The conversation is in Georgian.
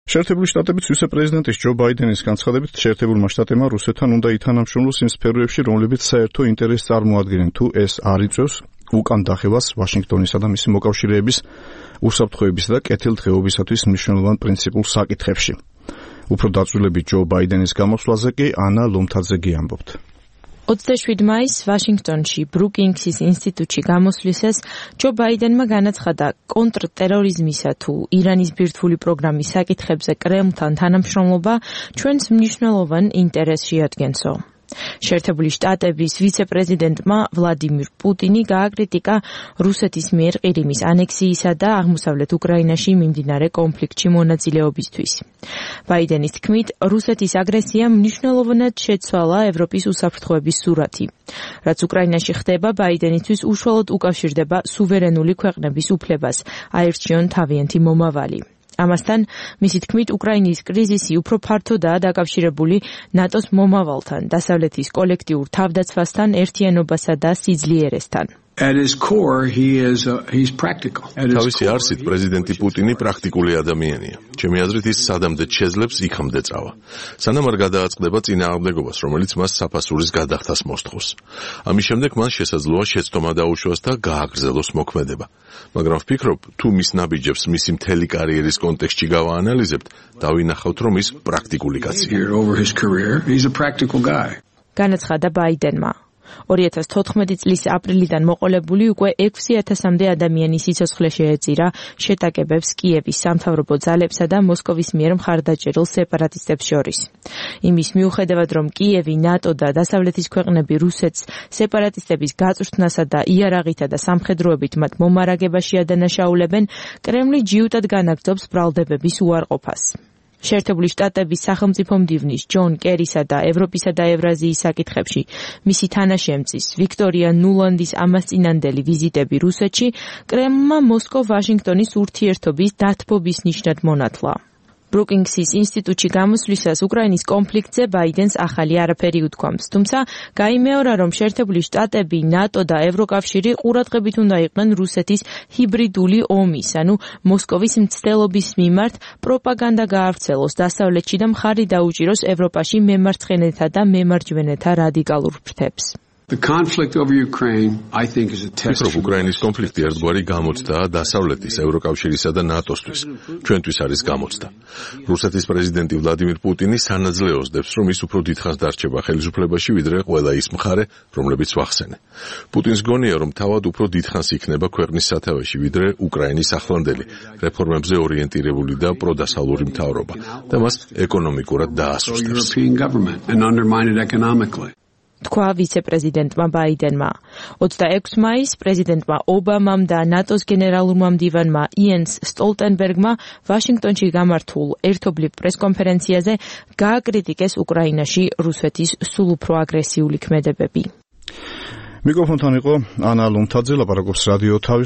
შეერთებული შტატების ვიცე-პრეზიდენტის ჯო ბაიდენის განცხადებით, შეერთებულმა შტატებმა რუსეთთან უნდა ითანამშრომლოს იმ სფეროებში, რომლებიც საერთო ინტერესს წარმოადგენენ, თუ ეს არ იწვევს უკან დახევას ვაშინგტონისა და მისი მოკავშირეების უსაფრთხოების და კეთილდღეობისათვის მნიშვნელოვან პრინციპულ საკითხებში. უფრო დაწვრილებით ჯო ბაიდენის გამოსვლაზე კი ანა ლომთაძე ამბობთ. 27 მაისს ვაშინგტონში ბრუკინგსის ინსტიტუტში გამოსვლისას ჯო ბაიდენმა განაცხადა კონტრტერორიზმისა თუ ირანის ბირთვული პროგრამის საკითხებზე კრემლთან თანამშრომლობა ჩვენს მნიშვნელოვან ინტერესს შეადგენსო. შეერთებული შტატების ვიცე-პრეზიდენტმა ვლადიმირ პუტინი გააკრიტიკა რუსეთის მიერ ყირიმის ანექსიისა და აღმოსავლეთ უკრაინაში მიმდინარე კონფლიქტში მონაწილეობისთვის. ბაიდენის თქმით, რუსეთის აგრესიამ მნიშვნელოვნად შეცვალა ევროპის უსაფრთხოების სურათი. რაც უკრაინაში ხდება, ბაიდენისთვის უშუალოდ უკავშირდება სუვერენული ქვეყნების უფლებას, აირჩიონ თავიანთი მომავალი. ამასთან, მისი თქმით, უკრაინის კრიზისი უფრო ფართოდაა დაკავშირებული ნატოს მომავალთან, დასავლეთის კოლექტიურ თავდაცვასთან, ერთიანობასა და სიძლიერესთან. თავისი არსით პრეზიდენტი პუტინი პრაქტიკული ადამიანია. ჩემი აზრით ის სადამდე შეძლებს იქამდე წავა. სანამ არ გადააწყდება წინააღმდეგობას, რომელიც მას საფასურის გადახდას მოსთხოვს. ამის შემდეგ მან შესაძლოა შეცდომა დაუშვას და გააგრძელოს მოქმედება. მაგრამ ვფიქრობ, თუ მის ნაბიჯებს მისი მთელი კარიერის კონტექსტში გავაანალიზებთ, დავინახავთ, რომ ის პრაქტიკული კაცია. განაცხადა ბაიდენმა. 2014 წლის აპრილიდან მოყოლებული უკვე 6000-მდე ადამიანის სიცოცხლე შეეწირა შეტაკებებს კიევის სამთავრობო ძალებსა და მოსკოვის მიერ მხარდაჭერილ სეპარატისტებს შორის. იმის მიუხედავად, რომ კიევი, ნატო და დასავლეთის ქვეყნები რუსეთს სეპარატისტების გაწვრთნასა და იარაღითა და სამხედროებით მათ მომარაგებაში ადანაშაულებენ, კრემლი ჯიუტად განაგრძობს ბრალდებების უარყოფას. შეერთებული შტატების სახელმწიფო მდივნის ჯონ კერისა და ევროპისა და ევრაზიის საკითხებში მისი თანაშემწის ვიქტორია ნულანდის ამასწინანდელი ვიზიტები რუსეთში კრემლმა მოსკოვ-ვაშინგტონის ურთიერთობის დათბობის ნიშნად მონათლა. ბრუკინგსის ინსტიტუტში გამოსვლისას უკრაინის კონფლიქტზე ბაიდენს ახალი არაფერი უთქვამს, თუმცა გაიმეორა, რომ შეერთებული შტატები, ნატო და ევროკავშირი ყურადღებით უნდა იყვნენ რუსეთის ჰიბრიდული ომის, ანუ მოსკოვის მცდელობის მიმართ პროპაგანდა გაავრცელოს დასავლეთში და მხარი დაუჭიროს ევროპაში მემარცხენეთა და მემარჯვენეთა რადიკალურ ფრთებს. ვფიქრობ, უკრაინის კონფლიქტი ერთგვარი გამოცდაა დასავლეთის, ევროკავშირისა და ნატოსთვის. ჩვენთვის არის გამოცდა. რუსეთის პრეზიდენტი ვლადიმირ პუტინი სანაძლეოს დებს, რომ ის უფრო დიდხანს დარჩება ხელისუფლებაში, ვიდრე ყველა ის მხარე, რომლებიც ვახსენე. პუტინს გონია, რომ თავად უფრო დიდხანს იქნება ქვეყნის სათავეში, ვიდრე უკრაინის ახლანდელი, რეფორმებზე ორიენტირებული და პროდასავლური მთავრობა და მას ეკონომიკურად დაასუსტებს. თქვა ვიცე-პრეზიდენტმა ბაიდენმა. 26 მაისს პრეზიდენტმა ობამამ და ნატოს გენერალურმა მდივანმა იენს სტოლტენბერგმა ვაშინგტონში გამართულ ერთობლივ პრესკონფერენციაზე გააკრიტიკეს უკრაინაში რუსეთის სულ უფრო აგრესიული ქმედებები. მიკროფონთან იყო ანა ლომთაძე, ლაპარაკობს რადიო თავის